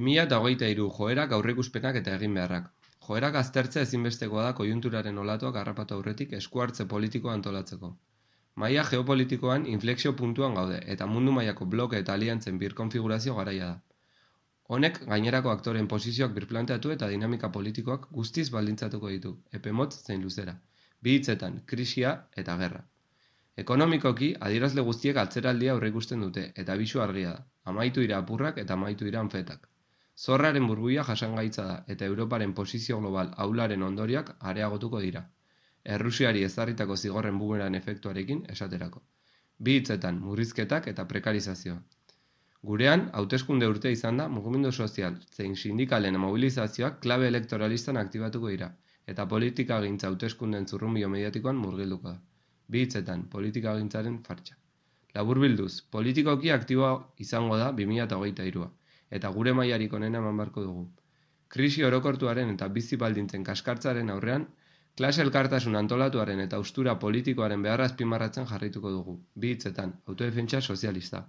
2023 joerak, aurreikuspenak eta eginbeharrak. Joerak aztertzea ezinbestekoa da koiunturaren olatuak harrapatu aurretik eskuhartze politikoa antolatzeko. Maila geopolitikoan inflexio puntuan gaude eta mundu mailako bloke eta aliantzen birkonfigurazio garaia da. Honek gainerako aktoreen posizioak birplanteatu eta dinamika politikoak guztiz baldintzatuko ditu, epe motz zein luzera. Bi hitzetan, krisia eta gerra. Ekonomikoki, adierazle guztiek atzeraldia aurreikusten dute, eta bisu argia da. Amaitu dira apurrak eta amaitu dira anfetak. Zorraren burbuila jasangaitza da, eta Europaren posizio global ahularen ondorioak areagotuko dira. Errusiari ezarritako zigorren bumeran efektuarekin esaterako. Bi hitzetan, murrizketak eta prekarizazioa. Gurean, hauteskunde urtea izan da, mugimendu sozial zein sindikalen mobilizazioak klabe elektoralistan aktibatuko dira, eta politikagintza hauteskunden zurrunbilo mediatikoan murgilduko da. Bi hitzetan, politikagintzaren fartxa. Laburbilduz, politikoki aktiboa izango da 2023a, eta gure mailarik onena eman beharko dugu. Krisi orokortuaren eta bizi baldintzen kaskartzaren aurrean, klase elkartasun antolatuaren eta haustura politikoaren beharra azpimarratzen jarrituko dugu. Bi hitzetan, autodefentsa sozialista.